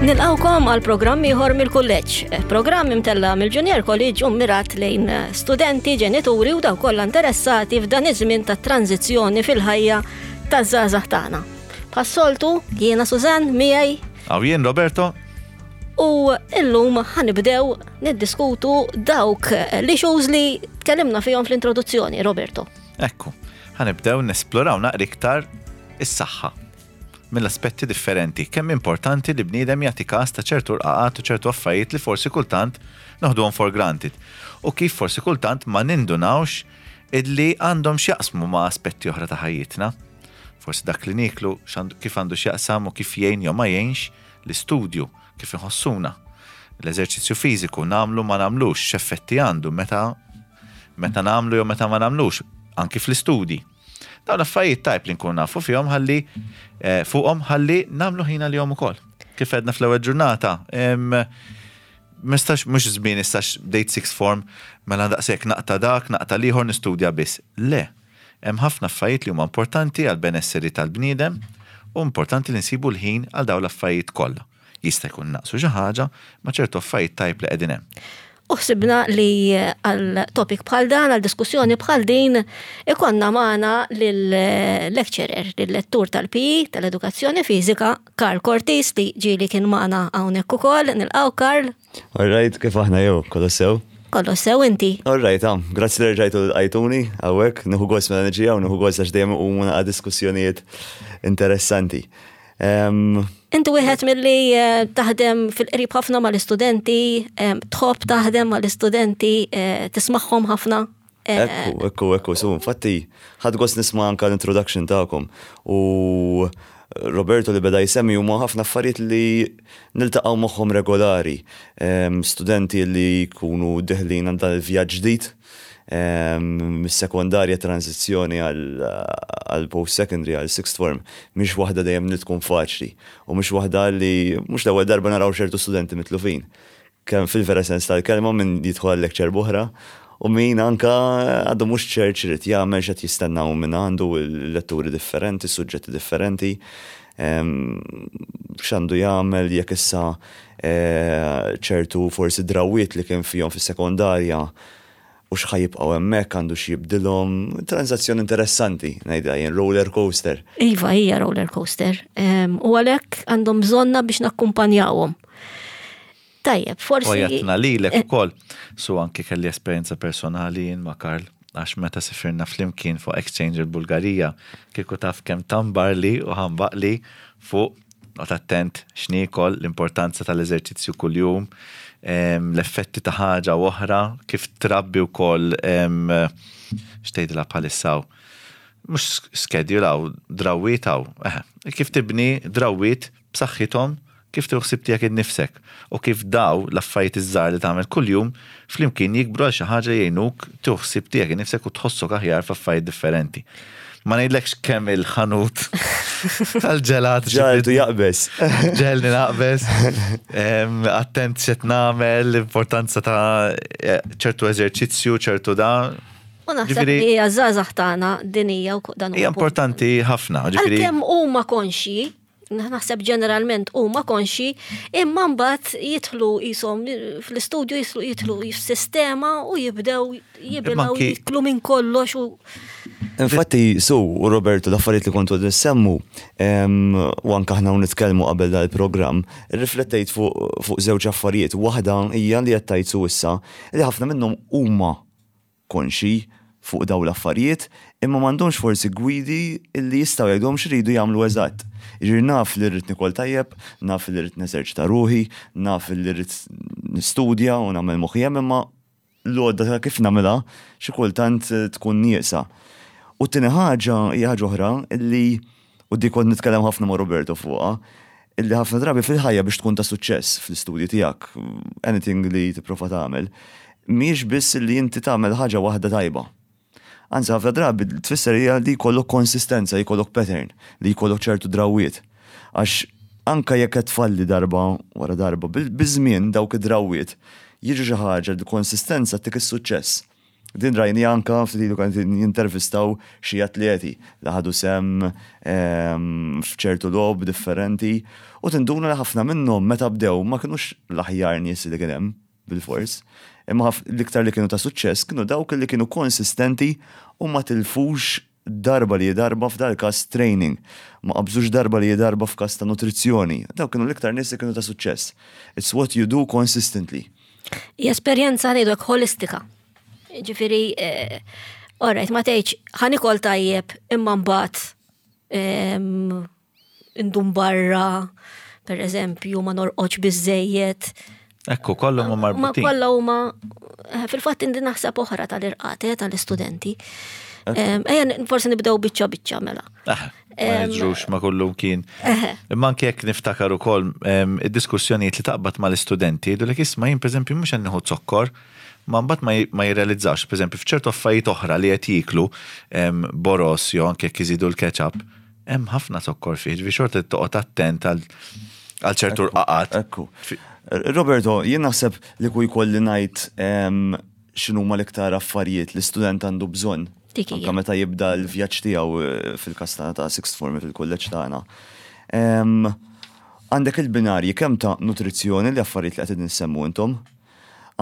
Nilqawkom għal programm ieħor mill-kulleġġ. Programm imtella mill-Junior College u mirat lejn studenti, ġenituri u dawk kollha interessati f'dan iż-żmien ta' tranzizzjoni fil-ħajja taż-żgħażagħ tagħna. Bħas-soltu, jiena Sużann miegħi. Aw jien Roberto. U illum ħanibdew niddiskutu dawk l-issues li tkellimna fihom fl-introduzzjoni, Roberto. Ekku, ħanibdew nesploraw naqra iktar is-saħħa mill-aspetti differenti, kemm importanti li bniedem jagħti każ ta' ċertu rqaqat u ċertu affarijiet li forsi kultant noħduhom for granted u kif forsi kultant ma nindunawx illi għandhom x'jaqsmu ma' aspetti oħra ta' ħajjitna. Forsi dak li nieklu kif għandu x'jaqsam u kif jgħin jew ma jgħinx l-istudju, kif inħossuna. L-eżerċizzju fiżiku nagħmlu ma nagħmlux, x'effetti għandu meta meta nagħmlu jew meta ma nagħmlux, anki fl-istudji. Dawn l-affarijiet tajb li nkunu nafu fihom ħalli eh, fuqhom ħalli nagħmlu ħin għalihom ukoll. Kif għedna fl-ewwel ġurnata, mistax mhux żmien issa bdejt sixth form mela daqshekk naqta' dak, naqta' l-ieħor nistudja biss. Le, hemm ħafna affarijiet li huma importanti għal benesseri tal-bniedem u importanti li nsibu l-ħin għal dawn l-affarijiet kollha. Jista' jkun naqsu xi ħaġa, ma ċertu affarijiet tajb li qegħdin hemm. U ħsibna li għal topic bħal dan, għal diskussjoni bħal din, ikonna magħna lill-lecturer, lill-lettur tal-PE, tal-Edukazzjoni Fiżika, Karl Cortis, li ġieli kien magħna hawnhekk ukoll. Nilqgħu Karl. All right, kif aħna jew, kollox sew? Kollox sew inti. All right, ah, grazzi li rġajtu l-qajtuni, hawnhekk, nieħu gost mela niġi hawn, nieħu gost għax dejjem iqumu naqa' diskussjonijiet interessanti. Inti wieħed milli eh, taħdem fil-qrib ħafna mal-istudenti, tħobb taħdem mal-istudenti, eh, tismagħhom ħafna. Eh, ekku, ekku, ekku, su, infatti, ħadd gost nisma' anka l-introduction tagħkom. U Roberto li beda jsemmi huma ħafna affarijiet li niltaqgħu magħhom regolari. Studenti li jkunu deħlin għal dan il-vjaġġ ġdid Mis-sekondarja tranżizzjoni għal post-secondary, għal sixth form, mhix waħda dejjem li tkun faċli u mhix waħda li mhux l-ewwel darba naraw ċertu studenti mitlufin. Kemm fil-vera sens tal-kelma min jidħol għal lecture b'oħra u min anka għadu mhux ċert x'irid jagħmel, x'qed jistennaw minn għandu, il-letturi differenti, suġġetti differenti, x'għandu jagħmel jekk issa ċertu forsi drawwiet li kien fihom fis-sekondarja u x'ħa jibqgħu hemmhekk, għandu x'jibdilhom. Transazzjoni interessanti, ngħidha jien, roller coaster. Iva, hija roller coaster. U għalhekk għandhom bżonna biex nakkumpanjawhom. Tajjeb, forsi. U jatna lilek eh. ukoll. Su anki kelli esperjenza personali jien ma' Karl għax meta sifirna flimkien fuq exchange il-Bulgarija, kieku taf kemm tambarli u ħambaqli fuq Noqgħod attent x'niekol, l-importanza tal-eżerċizzju kuljum, l-effetti ta' ħaġa u oħra, kif trabbi wkoll x'tgħidilha bħalissa hawn. Mhux schedule hawn, drawwiet hawn. Kif tibni drawwiet b'saħħithom, kif tieħu ħsieb tiegħek innifsek u kif daw l-affarijiet iż-żgħar li tagħmel kuljum flimkien jikbru għal xi ħaġa jgħinuk tieħu ħsieb tiegħek innifsek u tħossok aħjar f'affarijiet differenti. Ma ngħidlekx kemm il-ħanut tal-ġelat. Ġaltu jaqbeż. Ġelni naqbeż. Attent x'qed nagħmel, l-importanza ta' eh, ċertu eżerċizzju, ċertu da. U naħseb li hija żgħażagħ tagħna din hija dan Hija importanti ħafna. Għalkemm huma konxji, naħseb ġeneralment huma konxi, imma mbagħad jidħlu qishom fl-istudju jidħlu jidħlu f'sistema u jibdew jibilgħu jiklu minn kollox u Infatti, su, u Roberto, l-affarijiet li kontu nissemmu, u anke aħna nitkellmu qabel dal-programm, riflettejt fuq żewġ affarijiet. Waħda hija li qed tgħid su issa li ħafna minnhom huma konxji fuq dawn l-affarijiet imma m'għandhomx forsi gwidi li jistgħu jgħidulhom x'iridu jagħmlu eżatt. Jiġifieri naf li rrid nikol tajjeb, naf li rrid neżerċita ruħi, naf li rrid nistudja u nagħmel moħħi hemm imma l-għodda ta' kif nagħmilha xi kultant tkun nieqsa. U t-tieni ħaġa hija ħaġa oħra li u dik kont nitkellem ħafna ma' Roberto fuqha, illi ħafna drabi fil-ħajja biex tkun ta' suċċess fl-istudji tiegħek, anything li tipprova tagħmel, mhijiex biss li inti tagħmel ħaġa waħda tajba. Anzi ħafna drabi tfisser hija li jkollok konsistenza, jkollok pattern, li jkollok ċertu drawwiet. Għax anka jekk qed tfalli darba wara darba, biż-żmien dawk id-drawwiet jiġu xi ħaġa li konsistenza tik is-suċċess. Din rajni anka ftit ilu kont jintervistaw xi atleti li ħadu sehem f'ċertu logħob differenti u tinduna li ħafna minnhom meta bdew ma kinux l-aħjar nies li kien hemm bilfors. Imma l-iktar li kienu ta' suċċess kienu dawk li kienu konsistenti u ma tilfux darba li darba f'dal-każ training. Ma qabżux darba li darba f'każ ta' nutrizzjoni. Dawk kienu l-iktar nies li kienu ta' suċċess. It's what you do consistently. Hija esperjenza ngħidu hekk holistika. Ġifieri, eh, alright, ma tgħidx ħa nikol tajjeb imma mbagħad ehm, indum barra, per eżempju, ma norqodx biżejjed. Ekku, kollha huma marbutin. Ma kollha huma eh, fil-fatt indi naħseb oħra tal-irqat eh, tal-istudenti. Ejja, forsi nibdew biċċa biċċa mela. Ah, ma jiġrux ma kullum kien. Imma anke jekk niftakar ukoll id-diskussjonijiet li taqbad mal-istudenti, jgħidulek isma' jien pereżempju mhux qed nieħu zokkor, ma mbagħad ma jirrealizzawx, pereżempju f'ċertu affarijiet oħra li qed jieklu boros jew anke jekk iżidu l-ketchup, Hemm ħafna zokkor fih, ġifieri xorta trid toqgħod attent għal ċertu rqaqat. Ekku. Roberto, jien naħseb li ku jkolli ngħid x'inhuma l-iktar affarijiet li student għandu bżonn. Anka meta jibda l-vjaġġ tiegħu eh, fil-każ tagħna ta' sixth form fil-kulleġġ tagħna. Għandek il-binarji kemm ta' nutrizzjoni li affarijiet li qed insemmu intom.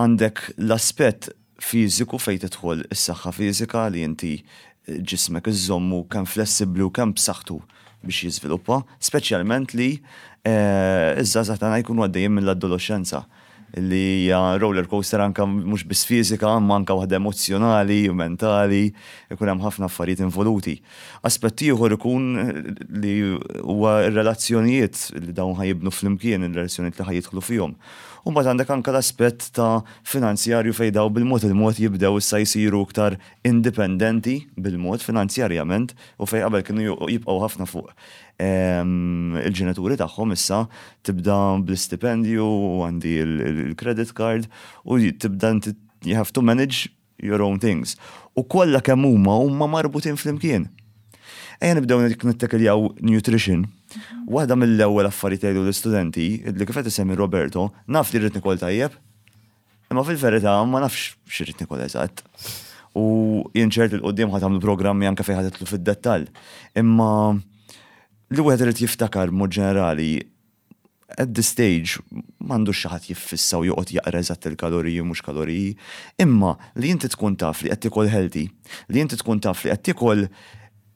Għandek l-aspett fiżiku fejn tidħol is-saħħa fiżika li inti ġismek iżżommu kemm flessibbli u kemm b'saħħtu biex jiżviluppa, speċjalment li ż-żgħażagħ tagħna jkunu għaddejjin mill-adoloxxenza li hija roller coaster anke mhux biss fiżika imma anke waħda emozzjonali u mentali, ikun hemm ħafna affarijiet involuti. Aspett ieħor ikun li huwa r-relazzjonijiet li dawn ħa jibnu flimkien, ir-relazzjonijiet li ħa jidħlu fihom. U mbagħad għandek anke l-aspett ta' finanzjarju fejn dawn bil-mod il-mod jibdew issa jsiru iktar indipendenti bil-mod finanzjarjament u fejn qabel kienu jibqgħu ħafna fuq il-ġenituri tagħhom issa tibda bl-istipendju u għandi l-credit card u tibda inti you have to manage your own things. U kollha kemm huma huma marbutin flimkien. Ejja nibdew nittekiljaw nutrition. Waħda mill-ewwel affarijiet jgħidu l-istudenti, li kif qed isemmi Roberto, naf li rrid nikol tajjeb, imma fil-verità ma nafx x'irrid nikol eżatt. U jien ċert 'il quddiem ħa tagħmlu programmi anke fejn ħa tidħlu fid-dettall. Imma li wieħed irid jiftakar b'mod ġenerali at this stage m'għandux xi ħadd jiffissa u joqgħod jaqra eżatt il-kaloriji u mhux kaloriji, imma li inti tkun taf li qed tiekol healthy, li inti tkun taf li qed tiekol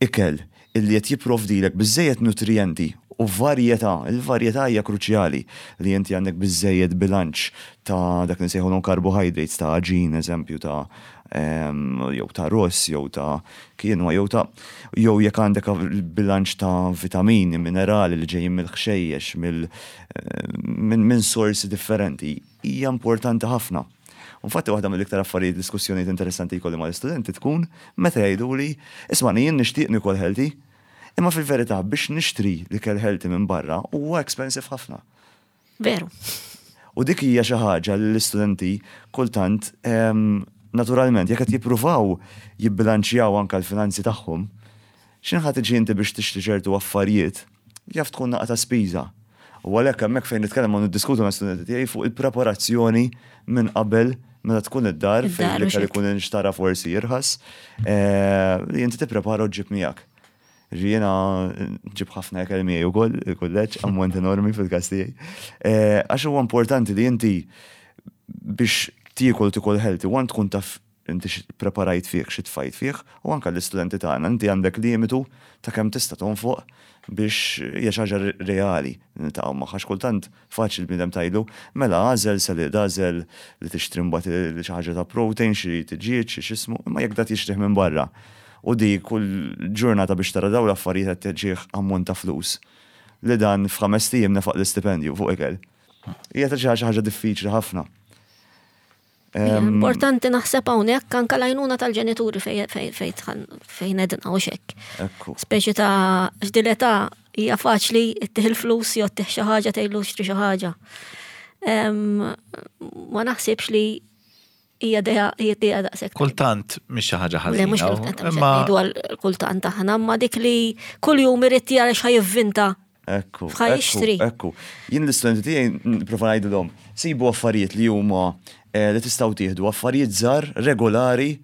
ikel illi qed jipprovdilek biżżejjed nutrijenti u varjetà, il-varjetà hija kruċjali, li inti għandek biżżejjed bilanċ ta' dak li nsejħulhom carbohydrates, ta' għaġin eżempju ta' jew ta' ross, jew ta' quinoa, jew ta' jew jekk għandek bilanċ ta' vitamini, minerali li ġejjin mill-ħxejjex, minn sorsi differenti, hija importanti ħafna. Infatti waħda mill-iktar affarijiet diskussjonijiet interessanti jkolli mal-istudenti tkun meta jgħiduli, isma' jien nixtieq nikol healthy, imma fil-verità biex nixtri l-ikel healthy minn barra huwa expensive ħafna. Veru. U dik hija xi ħaġa li l-istudenti kultant naturalment jekk qed jippruvaw jibbilanċjaw anke l-finanzi tagħhom, x'inħa ħa tiġi inti biex tixtri ċertu affarijiet, jaf tkun naqa ta' spiża. U għalhekk hemmhekk fejn nitkellem u niddiskutu ma' studenti tiegħi fuq il-preparazzjoni minn qabel meta tkun id-dar fejn l-ikel ikun inxtara forsi irħas, eh, li inti tipprepara u ġġib miegħek. Jiena nġib ħafna ikel miegħi wkoll il-kulleġġ, ammont enormi fil-każ tiegħi. Eh, għax huwa importanti li inti biex tiekol tikol healthy, one tkun taf inti preparajt fih, xi tfajt fih, u anke l-istudenti tagħna inti għandek limitu ta' kemm tista' tonfoq biex hija xi ħaġa reali niltaqgħu magħha għax kultant Faċli l-bniedem tgħidlu, mela agħżel salad, agħżel li tixtri mbagħad xi ħaġa ta' protein, xi tiġieġ, xi x'ismu, imma jekk dak jixtrih minn barra u di kull ġurnata biex tara dawn l-affarijiet qed tiġih ammont ta' flus li dan f'ħamest ijiem nefaq l-istipendju fuq ikel. Hija ta' xi ħaġa diffiċli ħafna. Importanti naħseb hawnhekk anke l-għajnuna tal-ġenituri fejn edna u xekk. Speċi ta' x'dil età hija faċli ittih il-flus jew ittih xi ħaġa tgħidlu xtri xi ħaġa. Ma naħsibx li hija dejja hija dejja daqshekk. Kultant mhix xi ħaġa ħażina. Le mhux kultant, imma kultant aħna, imma dik li kuljum irid jara x'ħa jivvinta Ekku. Fħa jixtri. Ekku. Jien l-istudenti tiegħi nipprova ngħidilhom, sibu affarijiet li huma eh, li tistgħu tieħdu, affarijiet żgħar regolari.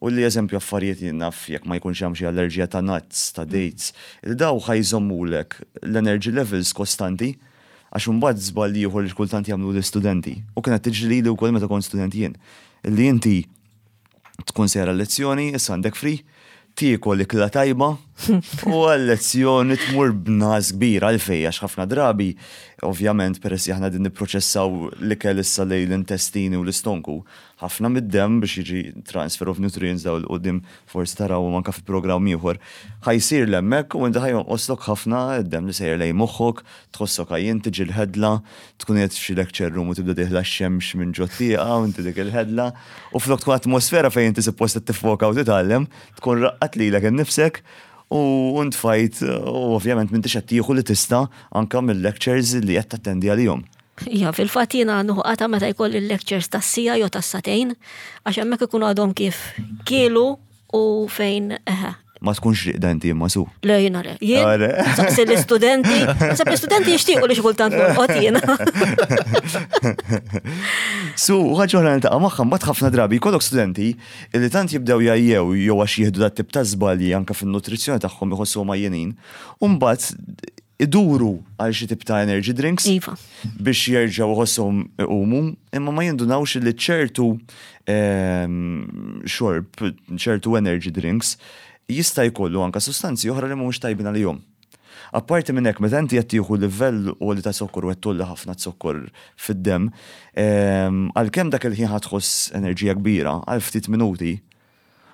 U li eżempju affarijiet jien naf jekk ma jkunx hemm xi allerġija ta' nuts, ta' dates, li daw ħa jżommulek l-energy levels kostanti għax imbagħad żball ieħor li kultant jagħmlu l-istudenti. U kienet tiġri lili wkoll meta kont student jien. Li inti tkun sejra lezzjoni, issa għandek free, tiekol ikla tajba u għal-lezzjoni tmur b'nas kbir għalfej għax ħafna drabi, ovvjament peress li aħna din nipproċessaw l-ikel issa lejn l-intestini u l-istonku, ħafna mid-demm biex jiġi transfer of nutrients daw l-qudiem forsi tarawhom anke fi programm ieħor, ħa jsir 'l hemmhekk u inti ħa jonqoslok ħafna d-demm li sejjer lejn moħħok, tħossok għajjien, tiġi l-ħedla, tkun qiegħed f'xi lecture room u tibda dieħla x-xemx minn ġot-tieqa u inti dik il-ħedla u flok tkun atmosfera fejn inti suppost qed tiffoka u titgħallem, tkun raqqadt lilek innifsek u ntfajt u ovvjament m'intix qed tieħu li tista' anke mill-lectures li qed tattendi għalihom. Ija, fil-fatt jiena nieħu qata meta jkolli l-lectures tas-siegħa jew tas-sagħtejn, għax hemmhekk ikunu għadhom kif kielu u fejn eħe. Ma tkunx riqda inti imma su. Le jiena le. Jien saqsi l-istudenti, sab l-istudenti jixtiequ li xi kultant norqod jiena. Su, ħaġa oħra niltaqa' magħha mbagħad ħafna drabi jkollok studenti li tant jibdew jgħajjew jew għax jieħdu dat tip ta' żbalji anke fin-nutrizzjoni tagħhom iħossuhom għajjenin, u mbagħad iduru għal xi tip ta' energy drinks iva. biex jerġgħu iħossuhom iqumu, imma ma jindunawx li ċertu ehm, xorb, ċertu energy drinks jista' jkollu anka sustanzi oħra li mhumiex tajbin għalihom. Apparti minn hekk, meta inti qed tieħu livell għoli ta' zokkor u qed tolli ħafna zokkor fid-demm, ehm, għalkemm dak il-ħin ħa tħoss enerġija kbira għal ftit minuti,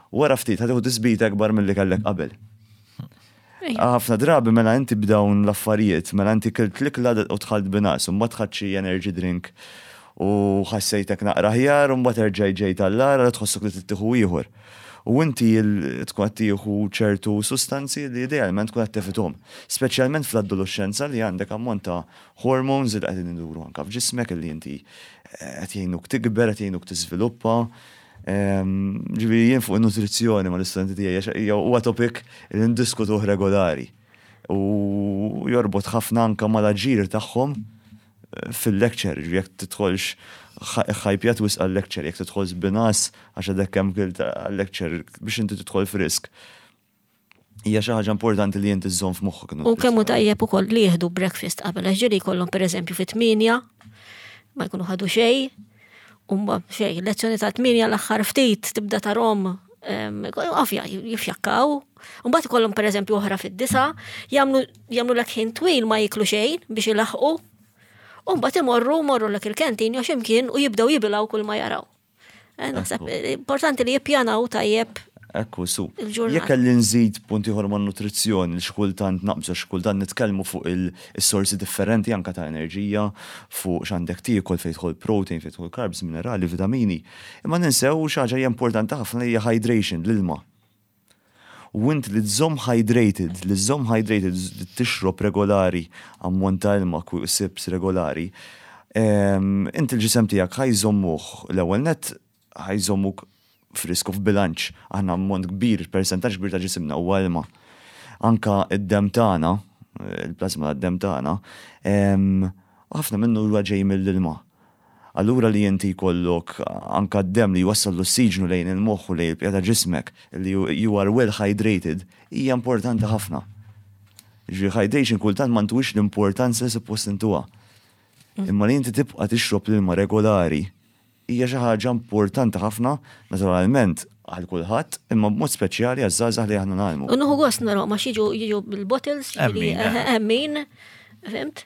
Wara ftit ħa tieħu tisbita ikbar milli kellek qabel. Ħafna drabi mela inti b'dawn l-affarijiet, mela inti kilt l-ikla u dħalt b'ingħas, u mbagħad ħadt xi energy drink u ħassejtek naqra aħjar u mbagħad erġajt ġejt għall-agħar għal tħossok li trid tieħu ieħor. U inti tkun qed tieħu ċertu sustanzi li idealment tkun qed tevithom. Speċjalment fl-adoloxxenza li għandek ammont ta' hormones li qegħdin iduru anke f'ġismek li inti qed jgħinuk tikber, qed jgħinuk tiżviluppa. Ġifieri jien fuq in-nutrizzjoni mal-istudenti tiegħi hija huwa topic li ndiskutuh regolari. U jorbot ħafna anke mal-aġir tagħhom eh, fil-lecture, ġifieri jekk tidħolx ħajpjat wisq għal-lecture, jekk tidħol binas għax għadek kemm kilt għal-lecture biex inti tidħol f'risk. Hija xi ħaġa importanti li inti żżomm f'moħħok. U kemm hu tajjeb ukoll li jieħdu breakfast qabel għax ġieli jkollhom pereżempju fit-tmienja ma jkunu ħadu xejn, u xejn, lezzjoni ta' tmienja l-aħħar ftit tibda tarhom ovvja jifjakkaw. U mbagħad ikollhom pereżempju oħra fid-disa, jagħmlu jagħmlu lek ħin twil ma jiklu xejn biex ilaħqu. U mbagħad imorru morru lek il-kantin jew x'imkien u jibdew jibilgħu kull ma jaraw. Eh, naħseb eh, importanti li jippjanaw tajjeb. Ekku, su. Jekk kelli nżid punt ieħor ma' nutrizzjoni li xi kultant naqbżu xi kultant nitkellmu fuq il-sorsi differenti anka ta' enerġija, fuq x'għandek tiekol fejn tidħol protein, fejn tidħol carbs, minerali, vitamini. Imma ninsew xi ħaġa hija importanti ħafna li hija hydration, l-ilma. U int li tżomm hydrated, li żżomm hydrated, li tixrob regolari, ammont ta' ilma, sips regolari, inti l-ġisem tiegħek ħa jżommuh l-ewwel nett ħa jżommuk frisk u f'bilanċ. Aħna ammont kbir, persentaġġ kbir ta' ġisimna huwa ilma. Anka id-demm tagħna, il-plasma tad-demm tagħna, ħafna minnu huwa ġej mill-ilma. Allura li inti jkollok anka d-demm li jwassal l-ossiġnu lejn il-moħħ u lejn il-bqija ta' ġismek, li you are well hydrated, hija importanti ħafna. Ġifieri hydration kultant ma ntuhiex l-importanza li suppost intuha. Imma li inti tibqa' tixrob l-ilma regolari hija xi ħaġa importanti ħafna, naturalment għal kulħadd, imma b'mod speċjali għaż-żgħażagħ li aħna ngħallmu. U nieħu gost narahom għax jiġu jiġu bil-bottles, hemm min, fimt?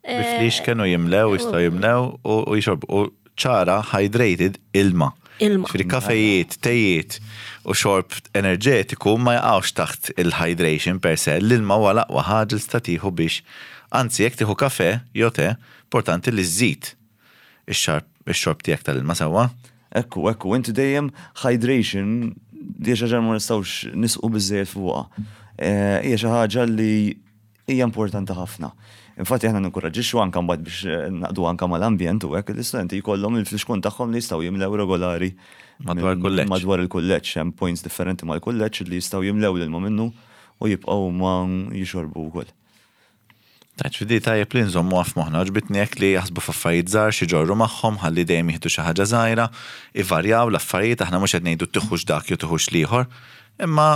Biflix kienu jimlew, jistgħu jimlew u jixorbu. U ċara hydrated ilma. Ilma. Ġifieri kafejiet, tejiet u xorb enerġetiku ma jaqgħux taħt il-hydration per se, l-ilma huwa l-aqwa ħaġa li tista' tieħu biex, anzi jekk tieħu kafe jew te, importanti li żżid ix-xorb tiegħek tal-ilma sewwa. Ekku, ekku, inti dejjem hydration, di xi ħaġa ma nistgħux nisqu biżejjed fuqha. Eh, hija xi ħaġa li hija importanti ħafna. Infatti aħna ninkoraġġixxu anke mbagħad biex eh, naqdu anke mal-ambjent u hekk l-istudenti jkollhom il-flixkun tagħhom li jistgħu jimlew regolari madwar il-kulleġġ. Madwar il-kulleġġ hemm points differenti mal-kulleġġ li jistgħu jimlew l-ilma minnu u jibqgħu ma jixorbu wkoll. Tajt fidi tajjeb li nżommu f'moħħna, għoġbitni hekk li jaħsbu f'affarijiet żgħar xi ġorru magħhom ħalli dejjem jieħdu xi ħaġa żgħira, ivarjaw l-affarijiet, aħna mhux qed ngħidu tiħux dak jew tiħux l-ieħor, imma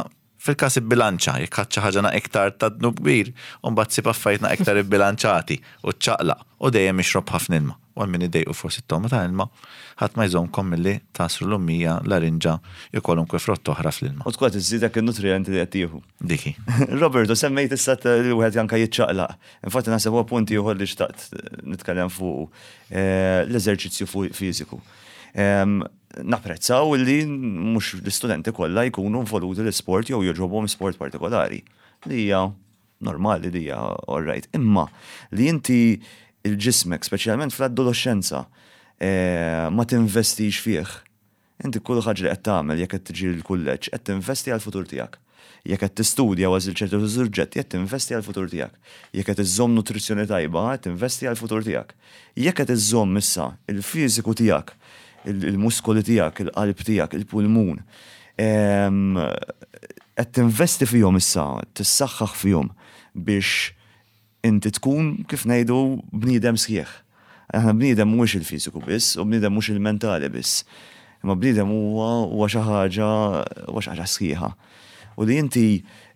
fil-każ ibbilanċa, jekk ħadt xi ħaġa iktar ta' dnub kbir, u mbagħad sib affarijiet iktar ibbilanċati u ċċaqlaq u dejjem ixrob ħafna ilma. U għal min idejqu forsi t-togħma ta' ilma, ħadd ma jżommkom milli tagħsru l-ummija, larinġa jew kwalunkwe frott oħra fl-ilma. U tkun qed iżżidek in-nutrijenti li qed tieħu. Diki. Roberto, semmejt issa li wieħed anke jiċċaqlaq. Infatti naħseb huwa punt ieħor li xtaqt nitkellem fuq l-eżerċizzju fiżiku. Napprezzaw li mhux l-istudenti kollha jkunu involuti l-isport jew jogħġobhom sport partikolari li hija normali, li hija all right. Imma li inti il-ġismek, speċjalment fl-adolescenza, ma tinvestix fih. Inti kull ħaġa li qed tagħmel jekk qed tiġi l-kulleġġ qed tinvesti għall-futur tiegħek. Jekk qed tistudja u għażil ċertu suġġetti qed tinvesti għall-futur tiegħek. Jekk qed iżżomm nutrizzjoni tajba qed tinvesti għall-futur tiegħek. Jekk qed iżżomm issa il-fiżiku tiegħek, il-muskoli tiegħek, il-qalb tiegħek, il-pulmun, qed tinvesti fihom issa, tissaħħaħ fihom biex inti tkun kif ngħidu bniedem sħiħ. Aħna bniedem mhuwiex il-fiżiku biss u bniedem mhux il-mentali biss. Imma bniedem huwa xi ħaġa huwa xi ħaġa sħiħa. U li inti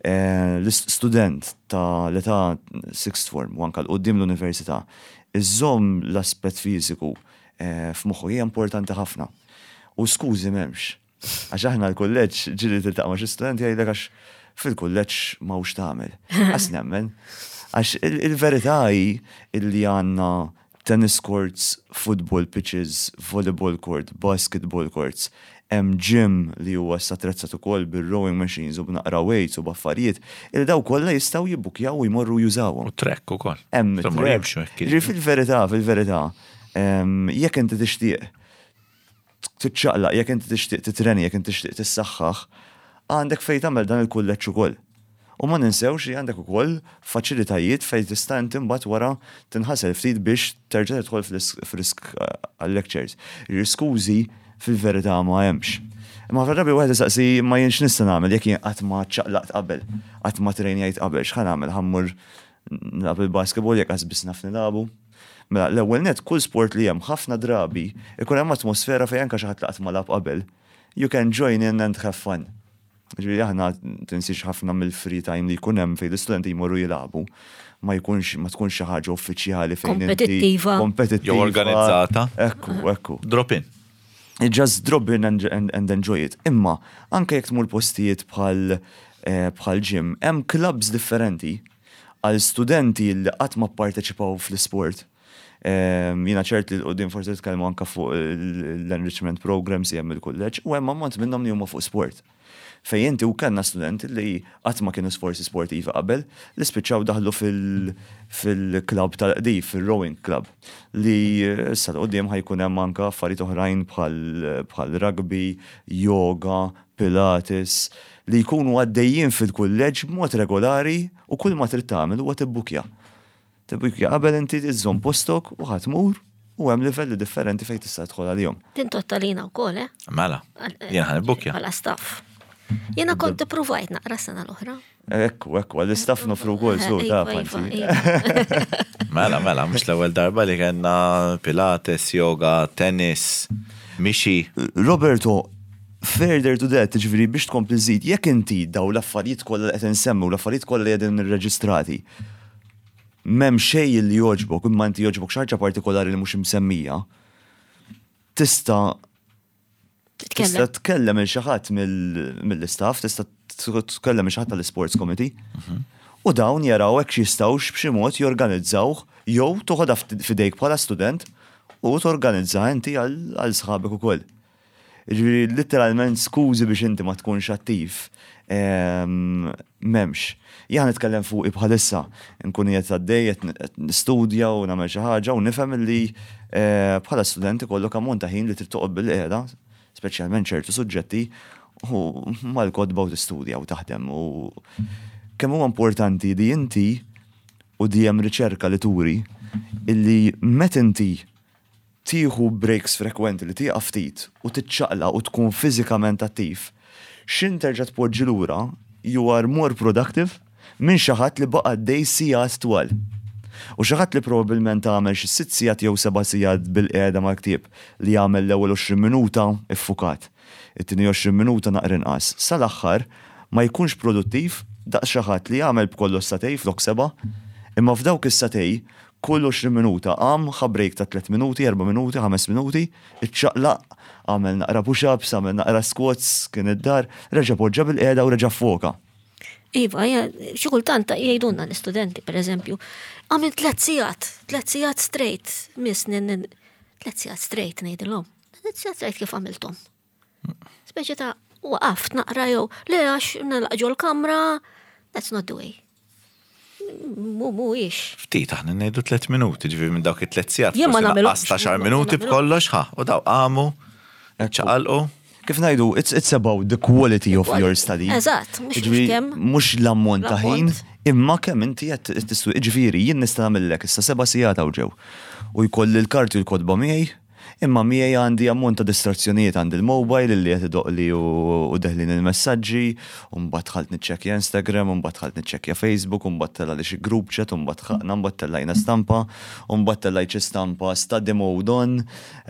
l-student ta' l-età sixth form u anke 'l quddiem l-università, iżżomm l-aspett fiżiku f'moħħu hija importanti ħafna. U skużi m'hemmx. Għax aħna l-kulleġġ ġieli tiltaqa' ma' xi student jgħidlek għax fil-kulleġġ m'hawnx tagħmel. Qas nemmen. Għax il-verità hi illi għandna tennis courts, football pitches, volleyball court, basketball courts, hemm gym li huwa issa attrezzat ukoll bir-rowing machines u b'naqra weights u b'affarijiet, illi daw kollha jistgħu jibbukjaw u jmorru jużawhom. U track ukoll. Hemm track. Ġifieri fil-verità, fil-verità, jekk inti tixtieq tiċċaqlaq, jekk inti tixtieq titreni, jekk inti tixtieq tissaħħaħ, għandek fejn tagħmel dan il-kulleġġ ukoll. U ma ninsewx li għandek ukoll faċilitajiet fejn tista' inti mbagħad wara tinħasel ftit biex terġa' tidħol frisk għal-lectures. Skużi fil-verità ma hemmx. Imma ħafna drabi wieħed isaqsi ma jien x'nista' nagħmel jekk jien qatt ma ċċaqlaqt qabel, qatt ma trenjajt qabel, x'ħa nagħmel? Ħa mmur nilgħab il-basketball jekk qas biss naf nilagħbu? Mela, l-ewwel nett kull sport li hemm ħafna drabi ikun hemm atmosfera fejn anke xi ħadd li qatt ma lagħab qabel, you can join in and have fun. Ġifieri aħna tinsiex ħafna mill-free time li jkun hemm fejn l-istudenti jmorru jilagħbu ma jkunx ma tkunx xi ħaġa uffiċjali fejn Kompetittiva. Kompetittiva. Jew organizzata. Ekku, ekku. Drop in. Just drop in and enjoy it. Imma anke jekk tmur postijiet bħal bħal gym, hemm clubs differenti għal studenti li qatt ma pparteċipaw fl-isport. Jiena ċert li l-qudiem forsi titkellmu anke fuq l-enrichment programs li hemm il-kulleġġ u hemm ammont minnhom li huma fuq sport. Fejn inti u kellna studenti li qatt ma kienu forsi sportivi qabel li spiċċaw daħlu fil-club tal-qdif, fil-rowing club, li issa l-qudiem ħa jkun hemm anke affarijiet oħrajn bħal rugby, yoga, pilates, li jkunu għaddejjin fil-kulleġġ b'mod regolari u kull ma trid tagħmel huwa tibbukja. Tibbukja qabel inti iżżomm postok u ħa tmur u hemm livelli differenti fejn tista' tidħol għalihom. Tintottalina wkoll, eh? Mela, jien ħa nibbukja. Bħala staff. Jiena kont ippruvajt naqra sena l-oħra. Ekku, ekku, għall-istaff nofru wkoll su ta' Iva, iva, fanti. iva. Mela, mela, mhux l-ewwel darba li kellna pilates, yoga, tennis, mixi. Roberto, further to that, ġifieri biex tkompli żid, jekk inti daw l-affarijiet kollha li qed insemmu, l-affarijiet kollha li qegħdin irreġistrati, m'hemm xejn li jogħġbok, imma inti jogħġbok xi ħaġa partikolari li mhux imsemmija, tista' tista' Titkellem. tkellem il xi ħadd mill-istaff, tista' tkellem il xi ħadd tal-sports committee. U dawn jaraw hekk jistgħux b'xi mod jorganizzawh jew toħodha f'idejk bħala student u torganizza inti għal sħabek ukoll. Ġifieri literalment skużi biex inti ma tkunx attiv. M'hemmx. Jien nitkellem fuqi bħalissa, nkun qiegħed għaddej qed nistudja u nagħmel xi ħaġa u nifhem li bħala student ikollok ammont ta' ħin li trid toqgħod bil-qiegħda, speċjalment ċertu suġġetti, u mal-kotba u tistudja u taħdem. U kemm huwa importanti li inti u di hemm riċerka li turi illi meta inti tieħu breaks frekwenti li tieqaf ftit u tiċċaqla u tkun fiżikament attiv, x'ħin terġa' tpoġġi lura, you are more productive minn xi ħadd li baqa' għaddej sigħat twal. U xi ħadd li probabbilment għamel xi sitt sigħat jew seba' sigħat bilqiegħda mal-ktieb li jagħmel l-ewwel 20 minuta ffukat, it-tieni 20 minuta naqra inqas, sal-aħħar ma jkunx produttiv daqs xi ħadd li għamel b'kollox sagħtejn flok sebgħa, imma f'dawk is-sagħtejn kull 20 minuta qam, ħa break ta' tliet minuti, erba' minuti, ħames minuti, iċċaqlaq, għamel naqra push-ups, għamel naqra squats, kien id-dar, reġa' poġġa bilqiegħda u reġa' ffoka. Iva, xi kultant jgħidulna l-istudenti, per eżempju, għamil tlet sigħat, tlet sigħat straight, miss, tlet sigħat straight ngħidilhom. Tlet sigħat straight kif għamilthom? Speċi ta' waqaft naqra jew le għax nalaq ġol-kamra, that's not the way. Mhuwiex. Ftit aħna ngħidu tliet minuti, ġifieri minn dawk it-tliet sigħat. Jien ma nagħmilhomx. Għaxar minuti b'kollox ħa, u daw qamu, ċaqalqu. Kif ngħidu, it's about the quality of your study. Eżatt, mhux kemm. Mhux l-ammont ta' ħin, imma kemm inti qed tistudja. Ġifieri, jien nista' nagħmillek issa seba' sigħat hawn ġew. U jkolli l-karti u l-kotba miegħi, Imma miegħi għandi ammont ta' distrazzjonijiet, għandi l-mobile illi qed idoqqli u deħlin il-messaġġi, u mbagħad dħalt niċċekkja Instagram, u mbagħad dħalt niċċekkja Facebook, u mbagħad telgħali xi group chat, u mbagħad dħaqna, mbagħad tellajna stampa, u mbagħad tellajt xi stampa study mode on,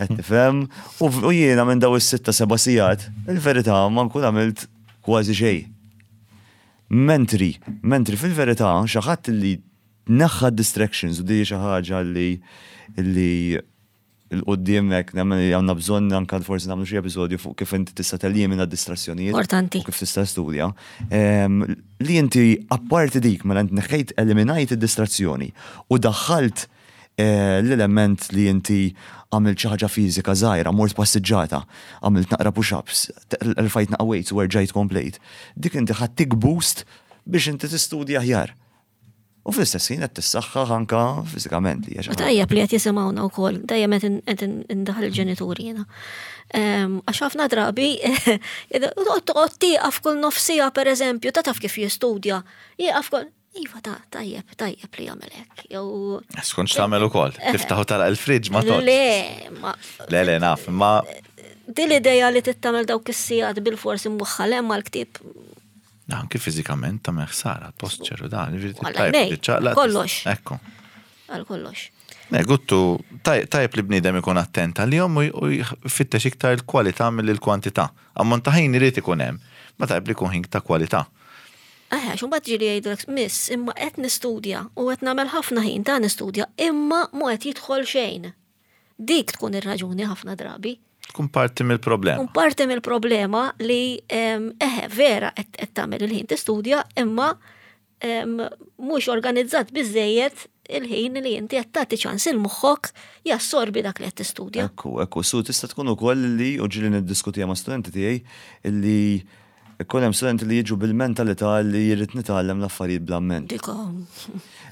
qed tifhem? U jiena minn daw is-sitta seba' sigħat, il-verità ma nkun għamilt kważi xejn. Mentri, mentri fil-verità xi ħadd illi neħħa d-distractions u di xi ħaġa li li 'l quddiem hekk nemmen li għandna bżonn anke forsi nagħmlu xi episodju fuq kif inti tista' telimina d-distrazzjonijiet. Importanti. U kif tista' studja. Li inti apparti dik mela int neħħejt eliminajt id-distrazzjoni u daħħalt eh, l-element li inti għamilt xi ħaġa fiżika żgħira, mort passiġġata, għamilt naqra push-ups, rfajt naqra weights u erġajt komplejt. Dik inti ħadd boost biex inti tistudja aħjar. U fl-istess ħin qed tissaħħaħ anka fiżikament li hija xi ħaġa. Tajjeb li qed jisimgħuna wkoll, dejjem qed indaħħal il-ġenituri jiena. Ehm, għax ħafna drabi toqgħod tieqaf kull nofsija pereżempju, ta' taf kif jistudja, jieqaf kull Iva ta' tajjeb, tajjeb li jagħmel hekk. Jew Skont x'tagħmel ukoll, eh. tiftaħu tara il-friġġ ma toqgħodx. Le, ma Le, le, naf, ma Din l-idea li tittamel dawk is-sigħat bil-forsi mwaħħal hemm għall-ktieb Anki fiżikament tagħmel ħsara, posture u dan, jiġifieri kollox. Ekku. Għal kollox. Ne, guttu, tajjeb li bniedem ikun attent għalihom u jfittex iktar il-kwalità milli l-kwantità. Ammont ta' ħin irid ikun hemm, ma tajjeb li jkun ħin ta' kwalità. Eħe, għax imbagħad ġieli jgħidulek, miss, imma qed nistudja u qed nagħmel ħafna ħin ta' nistudja, imma mhu qed jidħol xejn. Dik tkun ir-raġuni ħafna drabi. Tkun parti mill-problema. Tkun parti mill-problema li eħe vera qed tagħmel il-ħin tistudja imma mhux organizzat biżejjed il-ħin li inti qed tagħti ċans il moħħok jassorbi dak li qed tistudja. Ekku, ekku, su tista' tkun ukoll li u ġieli niddiskutiha ma' studenti tiegħi li Ikun hemm studenti li jiġu bil-mentalità li jrid nitgħallem l-affarijiet bl-amment. Dik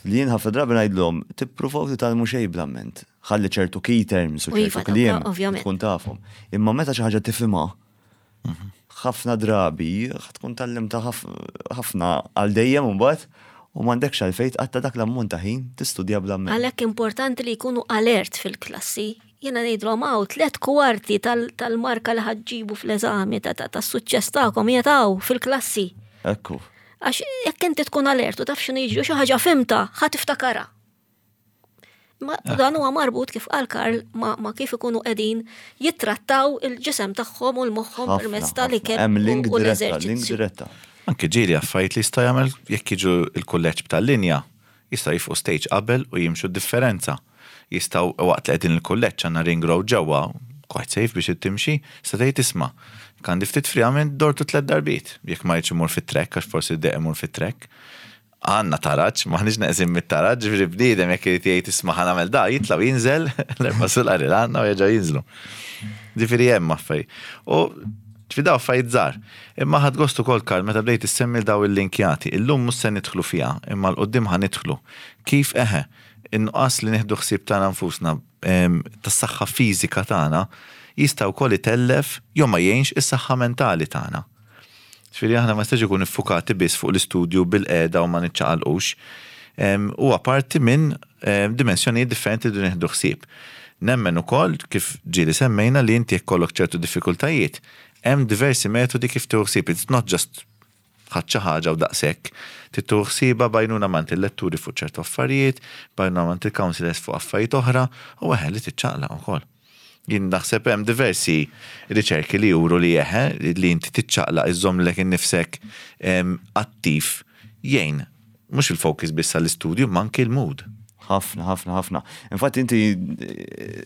Li jien ħafna drabi ngħidlhom, tippruvaw titgħallmu xejn bl-amment. Ħalli ċertu key terms u ċertu kliem tkun tafhom. Imma meta xi ħaġa tifhimha, ħafna drabi tkun tgħallimtha ħafna għal dejjem imbagħad u m'għandekx għalfejn tqatta' dak l-ammont ta' ħin tistudja bl-amment. Għalhekk importanti li jkunu alert fil-klassi Jiena ngħidlhom hawn tlet kwarti tal-marka li ħa ġġibu fl-eżami tas-suċċess tagħkom qiegħed hawn fil-klassi. Ekku. Għax jekk inti tkun alert u taf x'inhu jiġri xi ħaġa fimta, ħa tiftakarha. Ma ah. dan huwa marbut kif qal Karl ma, ma kif ikunu qegħdin jittrattaw il-ġisem tagħhom u l-moħħhom permezz tal-ikel u l-eżerċizzju. Anke ġieli affarijiet li jista' jagħmel jekk jiġu l-kulleġġ tal-linja Jistgħu jifqu stage qabel u jimxu d-differenza. Jistgħu waqt li qegħdin il-kulleġġ għandna ring road ġewwa, quite safe biex timxi, tista' tgħid isma' jekk għandi ftit free għamilt dortu tlett darbiet, jekk ma rridx immur fit-track għax forsi ddejjaq immur fit-track. Għandna taraġ, m'aħniex neqsin mit-taraġ, ġifieri bniedem jekk irid jgħid isma' ħa nagħmel da, jitla' u jinżel l-erba' sulari li għandna u jerġgħu jinżlu. Ġifieri hemm affarijiet. U ġifieri daw affarijiet żgħar. Imma ħadt gost ukoll Karl meta bdejt issemmi 'l daw il-linkjati. Illum mhux se nidħlu fiha, imma 'l quddiem ħa nidħlu. Kif eħe, in-nuqqas li nieħdu ħsieb tagħna nfusna, tas-saħħa fiżika tagħna, jista' wkoll itellef jew ma jgħinx is-saħħa mentali tagħna. Ġifieri aħna ma jistax ikun iffukati biss fuq l-istudju bilqiegħda u ma niċċaqalqux. Huwa parti minn dimensjonijiet differenti li rridu nieħdu ħsieb. Nemmen ukoll, kif ġieli semmejna, li inti jekk ikollok ċertu diffikultajiet, Hemm diversi metodi kif tieħu ħsieb, it's not just ħadt xi ħaġa u daqshekk. Trid tieħu ħsiebha b'għajnuna m'għand il-letturi fuq ċertu affarijiet, b'għajnuna m'għand il-counsellors fuq affarijiet oħra u eħe li tiċċaqlaq ukoll. Jien naħseb hemm diversi riċerki li juru li eħe li inti tiċċaqlaq iżżomm lilek innifsek attiv jgħin mhux il-focus biss għall-istudju imma anki l-mood. Ħafna, ħafna, ħafna. Infatti inti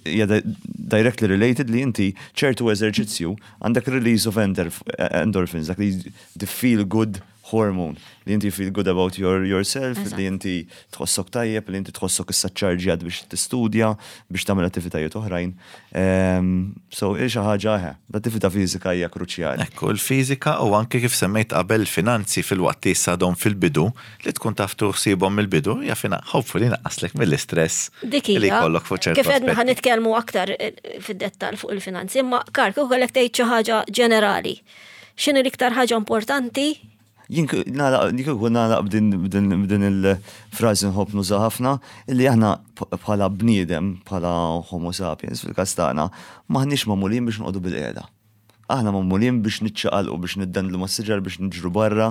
hija directly related li inti ċertu eżerċizzju għandek release of endorphins, dak li the feel good hormone, li inti feel good about your, yourself, li inti tħossok tajjeb, li inti tħossok issa ċarġjat biex tistudja, biex tagħmel attivitajiet oħrajn. So, xi ħaġa eħe, l-attività fiżika hija kruċjali. Ekku, il-fiżika u anke kif semmejt qabel finanzi fil-waqt li issa għadhom fil-bidu, li tkun taf tuħsibhom mill-bidu, hija fina, hopefully naqqaslek mill-istress Dik li hija. jkollok fuq ċertu Kif għedna ħa aspetti. nitkellmu aktar fid-dettal fuq il-finanzi, imma Karl, kieku kellek tgħid xi ħaġa ġenerali. X'inhi l-iktar ħaġa importanti? Jien kieku nagħlaq b'din il-frażi nħobb nuża ħafna, illi aħna bħala bniedem, bħala homo sapiens fil-każ tagħna, m'aħniex magħmulin biex noqogħdu bil-qiegħda. Aħna magħmulin biex niċċaqalqu, biex niddendlu mas-siġar, biex niġru barra,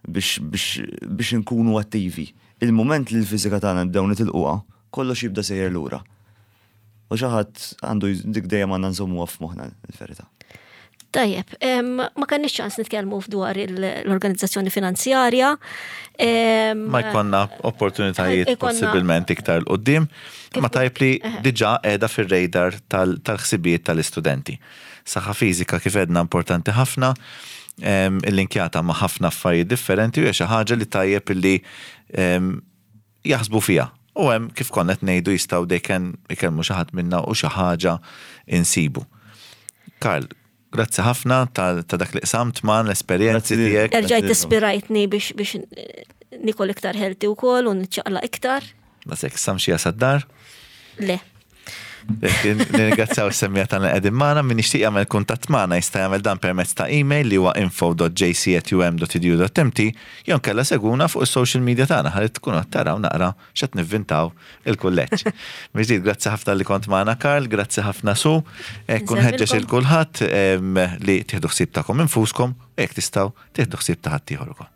biex inkunu attivi. Il-moment li l-fiżika tagħna nibdew nitilquha, kollox jibda sejjer lura. U xi ħadd għandu dik dejjem għandna nżommuha f'moħħna l-verità. Tajjeb, ma kellniex ċans nitkellmu dwar l-organizzazzjoni finanzjarja. Ma jkollna opportunitajiet possibilment iktar 'l quddiem, ma tajjeb li diġà qiegħda fir-radar tal-ħsibijiet tal-istudenti. Saħħa fiżika kif għedna importanti ħafna, illinkjata ma' ħafna affarijiet differenti u hija xi ħaġa li tajjeb illi jaħsbu fiha. U hemm kif konna qed ngħidu jistgħu they can ikellmu xi ħadd minna u xi ħaġa insibu. Karl, grazzi ħafna ta' dak li qsamt magħna l-esperjenzi tiegħek. Erġajt ispirajtni biex nikol iktar healthy wkoll u niċċaqlaq iktar. Daqshekk issa mxija sad-dar? Le. Nirringrazzjaw is-semmiegħa tagħna li qegħdin magħna, min jixtieq jagħmel kuntatt magħna jista' jagħmel dan permezz ta' email li huwa info.jc@um.edu.mt jew inkella segwuna fuq is-social media tagħna ħalli tkunu qed taraw naqra x'qed nivvintaw il-kulleġġ. Mill-ġdid grazzi ħafna li kont magħna Karl, grazzi ħafna Su. Hekk nħeġġeġ il kulħadd li tieħdu ħsieb tagħkom infuskom u jekk tistgħu tieħdu ħsieb ta' ħaddieħor ukoll.